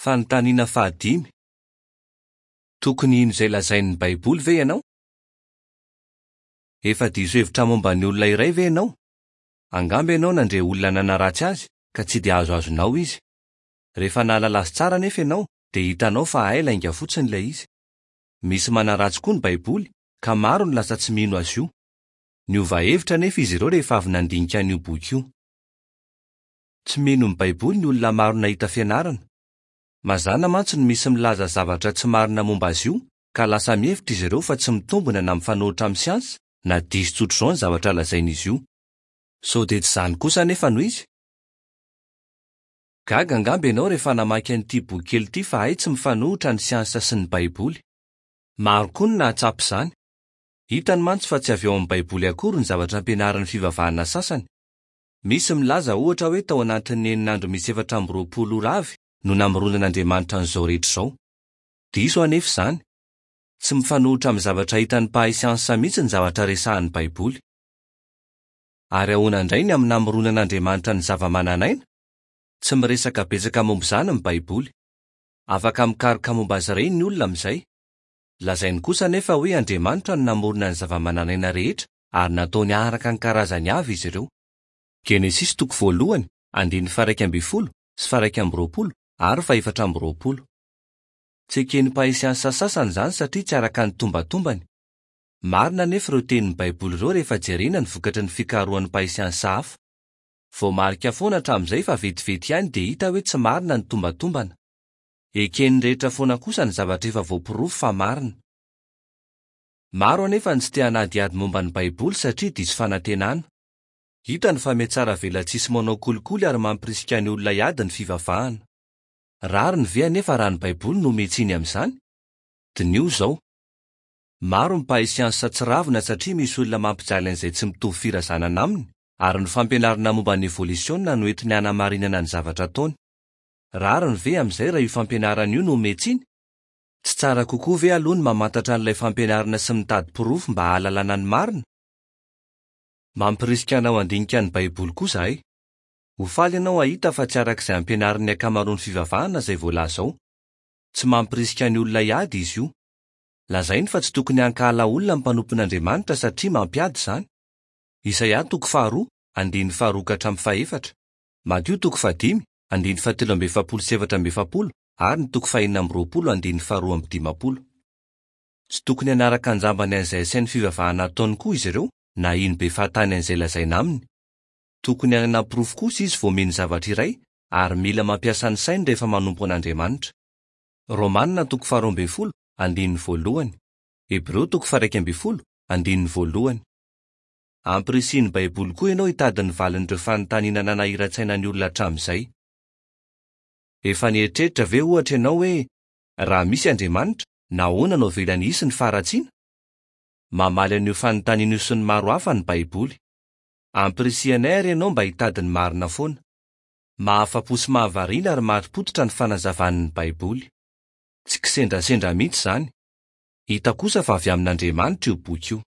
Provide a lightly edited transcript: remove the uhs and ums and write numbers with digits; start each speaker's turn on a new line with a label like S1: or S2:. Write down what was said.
S1: Fanontaniana fahadimy. Tokony hino izay lazain'ny Baiboly ve ianao? Efa diso hevitra momba ny olona iray ve ianao? Angamba ianao nandre olona nanaratsy azy ka tsy dia azoazonao izy. Rehefa nahalala azy tsara anefa ianao dia hitanao fa hay lainga fotsiny ilay izy. Misy manaratsy koa ny Baiboly ka maro no lasa tsy mino azy io. Niova hevitra anefa izy ireo rehefa avy nandinika an'io boky io. Tsy mino ny Baiboly ny olona maro nahita fianarana. Mazàna mantsy no misy milaza zavatra tsy marina momba azy io ka lasa mihevitra izy ireo fa tsy mitombina na mifanohitra amin'ny siansa na diso tsotr'izao ny zavatra lazain'izy io. Sao dia tsy izany kosa anefa no izy? Gaga angamba ianao rehefa namaky an'ity bokikely ity fa hay tsy mifanohitra ny siansa sy ny Baiboly. Maro koa ny nahatsapa izany. Hitany mantsy fa tsy avy ao amin'ny Baiboly akory ny zavatra ampianarin'ny fivavahana sasany. Misy milaza ohatra hoe tao anatin'ny enina andro misy 24 ora avy no namoronan'Andriamanitra an'izao rehetra izao. Diso anefa izany. Tsy mifanohitra amin'ny zavatra hitan'ny mpahay siansa mihitsy ny zavatra resahin'ny Baiboly. Ary ahoana indray ny amin'ny namoronan'Andriamanitra ny zavamananaina? Tsy miresaka betsaka momba izany ny Baiboly. Afaka mikaroka momba azy ireny ny olona amin'izay. Lazainy kosa anefa hoe Andriamanitra no namorona ny zavamananaina rehetra ary nataony araka ny karazany avy izy ireo. Genesisy toko voalohany, andininy faha-11 sy faha-21 ary faha-24. Tsy eken'ny mpahay siansa sasany izany satria tsy araka ny tombatombany. Marina anefa ireo tenin'ny Baiboly ireo rehefa jerena ny vokatry ny fikarohan'ny mpahay siansa hafa. Voamarika foana hatramin'izay fa vetivety ihany dia hita hoe tsy marina ny tombatombana. Eken'ny rehetra foana kosa ny zavatra efa voaporofo fa marina. Maro anefa ny tsy te hanadihady momba ny Baiboly satria diso fanantenana. Hitany fa mihatsara velatsihy sy manao kolikoly ary mampirisika ny olona hiady ny fivavahana. Rariny ve anefa raha ny Baiboly no omen-tsiny amin'izany? Diniho izao. Maro ny mpahay siansa tsy ravina satria misy olona mampijaly an'izay tsy mitovy firazanana aminy, ary ny fampianarana momba ny evolisiona no entiny hanamarinana ny zavatra ataony. Rariny ve amin'izay raha io fampianarana io no omen-tsiny? Tsy tsara kokoa ve aloha ny mamantatra an'ilay fampianarana sy mitady porofo mba hahalalana ny marina? Mampirisika anao handinika ny Baiboly koa izahay. Ho faly ianao hahita fa tsy araka izay ampianarin'ny ankamaroan'ny fivavahana izay voalaza ao. Tsy mampirisika ny olona hiady izy io. Lazainy fa tsy tokony hankahala olona ny mpanompon'Andriamanitra satria mampiady izany. Isaia toko faharoa, andininy faharoa ka hatramin'ny fahefatra, Matio toko fahadimy, andininy fahatelo amby efapolo sy 44 ary ny toko fahenina amby 20 andininy faharoa amby dimampolo. Tsy tokony hanaraka an-jambany an'izay asain'ny fivavahana ataony koa izy ireo na hino be fahatany an'izay lazaina aminy. Tokony hanana porofo kosa izy vao mino zavatra iray ary mila mampiasa ny sainy rehefa manompo an'Andriamanitra. Romana toko faharoa ambin'ny folo, andininy voalohany. Hebreo toko faha-11, andininy voalohany. Ampirisihin'ny Baiboly koa ianao hitady ny valin'ireo fanontaniana nanahiran-tsaina ny olona hatramin'izay. Efa nieritreritra ve, ohatra, ianao hoe, 'Raha misy Andriamanitra, nahoana no avelany hisy ny faharatsiana? Mamaly an'io fanontaniana io sy ny maro hafa ny Baiboly. Ampirisihanay àry ianao mba hitady ny marina foana. Mahafa-po sy mahavariana ary marim-pototra ny fanazavan'ny Baiboly. Tsy kisendrasendra mihitsy izany. Hita kosa fa avy amin'Andriamanitra io boky io.